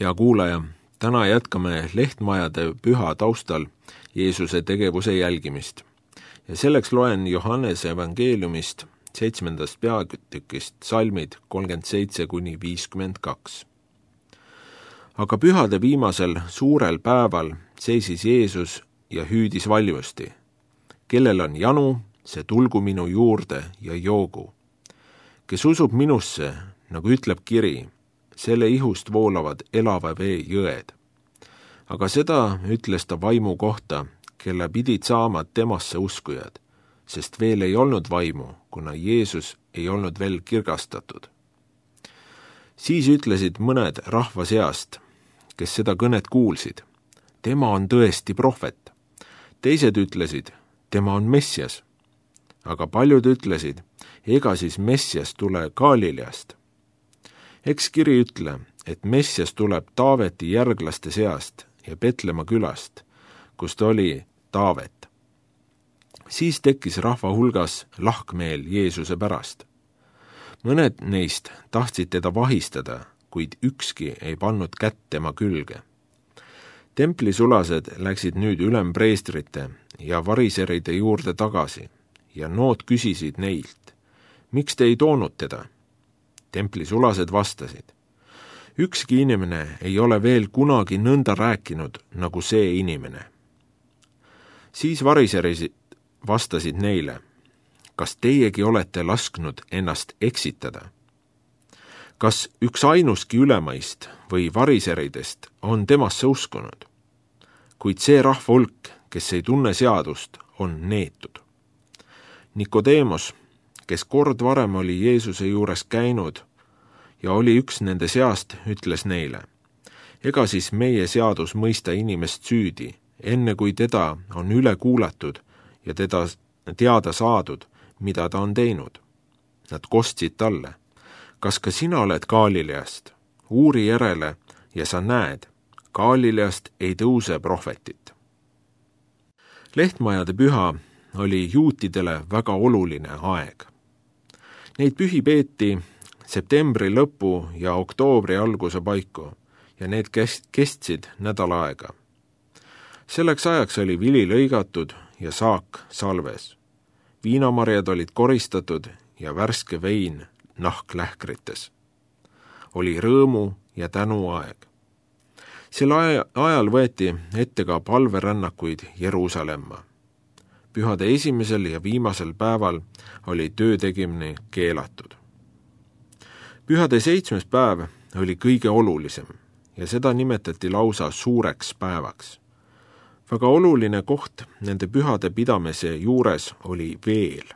Hea kuulaja, täna jätkame Lehtmajade püha taustal Jeesuse tegevuse jälgimist. Ja selleks loen Johannese evangeeliumist 7. peatükist salmid 37-52. Aga pühade viimasel suurel päeval seisis Jeesus ja hüüdis valjusti. Kellel on janu, see tulgu minu juurde ja joogu. Kes usub minusse, nagu ütleb kiri, selle ihust voolavad elava vee jõed. Aga seda ütles ta vaimu kohta, kelle pidid saama temasse uskujad, sest veel ei olnud vaimu, kuna Jeesus ei olnud veel kirgastatud. Siis ütlesid mõned rahva seast, kes seda kõnet kuulsid. Tema on tõesti prohvet. Teised ütlesid, tema on Messias. Aga paljud ütlesid, ega siis Messias tule Galileast. Eks kiri ütle, et Messias tuleb Taaveti järglaste seast ja Petlemma külast, kust oli Taavet. Siis tekkis rahva hulgas lahkmeel Jeesuse pärast. Mõned neist tahtsid teda vahistada, kuid ükski ei pannud kätt tema külge. Templisulased läksid nüüd ülempreestrite ja variseride juurde tagasi ja nood küsisid neilt, miks te ei toonud teda? Templisulased vastasid, ükski inimene ei ole veel kunagi nõnda rääkinud nagu see inimene. Siis variserid vastasid neile, kas teiegi olete lasknud ennast eksitada? Kas üks ainuski ülemaist või variseridest on temasse uskunud? Kuid see rahva hulk, kes ei tunne seadust, on neetud. Nikodeemos, kes kord varem oli Jeesuse juures käinud ja oli üks nende seast, ütles neile, ega siis meie seadus mõista inimest süüdi, enne kui teda on üle kuulatud ja teda teada saadud, mida ta on teinud. Nad kostsid talle, kas ka sina oled Galileast? Uuri järele ja sa näed, Galileast ei tõuse prohvetit. Lehtmajade püha oli juutidele väga oluline aeg. Neid pühi peeti septembri lõpu ja oktoobri alguse paiku ja need kestsid nädal aega. Selleks ajaks oli vili lõigatud ja saak salves. Viinamarjad olid koristatud ja värske vein nahklähkrites. Oli rõõmu ja tänu aeg. Sel ajal võeti ette ka palverännakuid Jeruusalemma. Pühade esimesel ja viimasel päeval oli töö tegemine keelatud. Pühade 7. päev oli kõige olulisem ja seda nimetati lausa suureks päevaks. Väga oluline koht nende pühade pidamise juures oli veel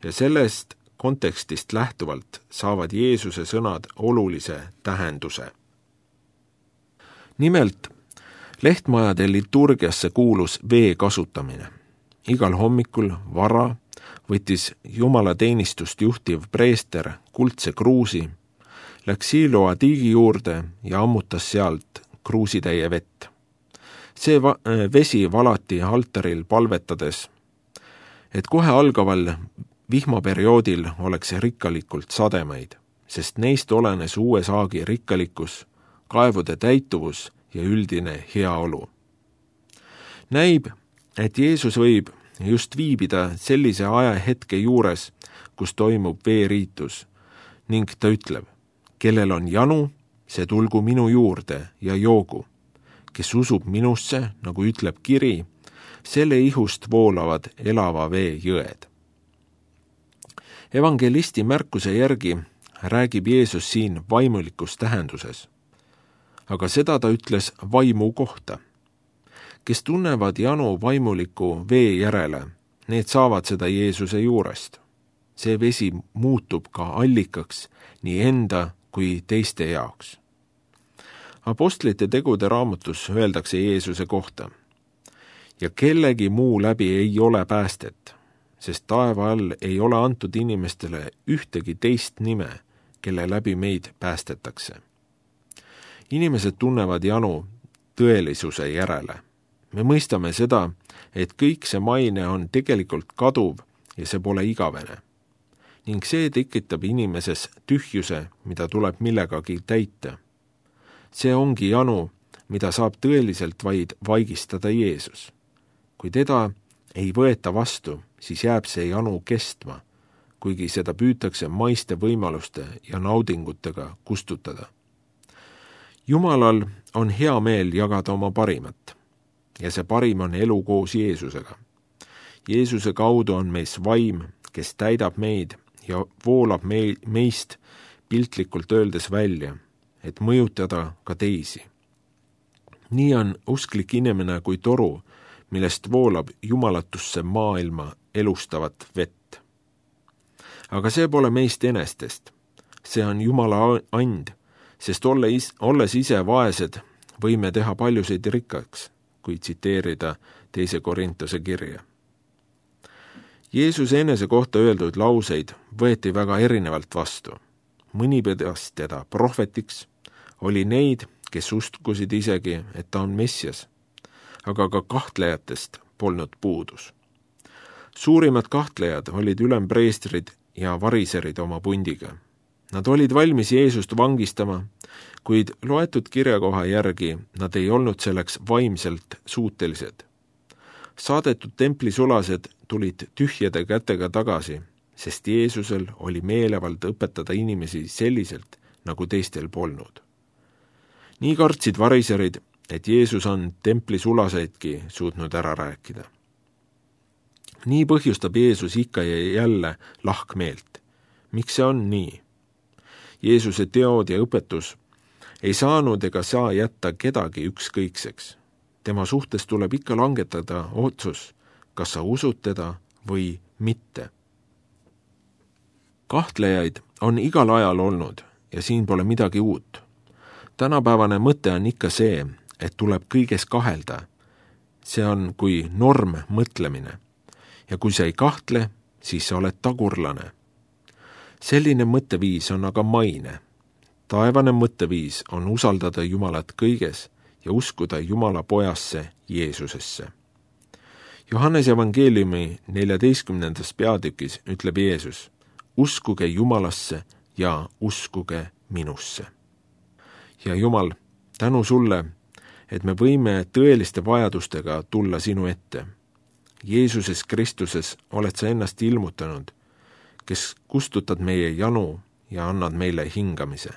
ja sellest kontekstist lähtuvalt saavad Jeesuse sõnad olulise tähenduse. Nimelt, Lehtmajade liturgiasse kuulus vee kasutamine. Igal hommikul vara võttis jumalateenistust juhtiv preester kuldse kruusi, läks Siloa tiigi juurde ja ammutas sealt kruusitäie vett. See vesi valati altaril palvetades, et kohe algaval vihmaperioodil oleks rikkalikult sademeid, sest neist olenes uue saagi rikkalikkus, kaevude täituvus ja üldine heaolu. Näib, et Jeesus võib just viibida sellise ajahetke juures, kus toimub veeriitus, ning ta ütleb, kellel on janu, see tulgu minu juurde ja joogu. Kes usub minusse, nagu ütleb kiri, selle ihust voolavad elava vee jõed. Evangelisti märkuse järgi räägib Jeesus siin vaimulikus tähenduses. Aga seda ta ütles vaimu kohta. Kes tunnevad janu vaimuliku vee järele, need saavad seda Jeesuse juurest. See vesi muutub ka allikaks nii enda kui teiste jaoks. Apostlite tegude raamatus öeldakse Jeesuse kohta. Ja kellegi muu läbi ei ole päästet, sest taeva all ei ole antud inimestele ühtegi teist nime, kelle läbi meid päästetakse. Inimesed tunnevad janu tõelisuse järele. Me mõistame seda, et kõik see maine on tegelikult kaduv ja see pole igavene. Ning see tekitab inimeses tühjuse, mida tuleb millegagi täita. See ongi janu, mida saab tõeliselt vaid vaigistada Jeesus. Kui teda ei võeta vastu, siis jääb see janu kestma, kuigi seda püütakse maiste võimaluste ja naudingutega kustutada. Jumalal on hea meel jagada oma parimat ja see parim on elu koos Jeesusega. Jeesuse kaudu on meis vaim, kes täidab meid ja voolab meist piltlikult öeldes välja, et mõjutada ka teisi. Nii on usklik inimene kui toru, millest voolab jumalatusse maailma elustavat vett. Aga see pole meist enestest. See on Jumala and, sest olles ise vaesed, võime teha paljusid rikkaks, kui tsiteerida 2. Korintuse kirja. Jeesuse enese kohta öeldud lauseid võeti väga erinevalt vastu. Mõni pidas teda prohvetiks, oli neid, kes uskusid isegi, et ta on Messias, aga ka kahtlejatest polnud puudus. Suurimad kahtlejad olid ülempreestrid ja variserid oma pundiga. Nad olid valmis Jeesust vangistama, kuid loetud kirjakoha järgi nad ei olnud selleks vaimselt suutelised. Saadetud templisulased tulid tühjade kätega tagasi, sest Jeesusel oli meelevald õpetada inimesi selliselt, nagu teistel polnud. Nii kartsid variserid, et Jeesus on templisulaseidki suutnud ära rääkida. Nii põhjustab Jeesus ikka ja jälle lahkmeelt. Miks see on nii? Jeesuse teod ja õpetus ei saanud ega saa jätta kedagi ükskõikseks. Tema suhtes tuleb ikka langetada otsus, kas sa usud teda või mitte. Kahtlejaid on igal ajal olnud ja siin pole midagi uut. Tänapäevane mõte on ikka see, et tuleb kõiges kahelda. See on kui norm mõtlemine. Ja kui sa ei kahtle, siis sa oled tagurlane. Selline mõtteviis on aga maine. Taevane mõtteviis on usaldada Jumalat kõiges ja uskuda Jumala pojasse Jeesusesse. Johannes evangeeliumi 14. peatükis ütleb Jeesus, uskuge Jumalasse ja uskuge minusse. Ja Jumal, tänu sulle, et me võime tõeliste vajadustega tulla sinu ette. Jeesuses Kristuses oled sa ennast ilmutanud, kes kustutad meie janu ja annad meile hingamise.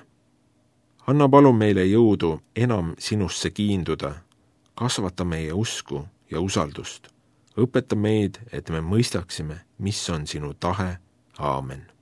Anna palun meile jõudu enam sinusse kiinduda, kasvata meie usku ja usaldust. Õpeta meid, et me mõistaksime, mis on sinu tahe. Aamen.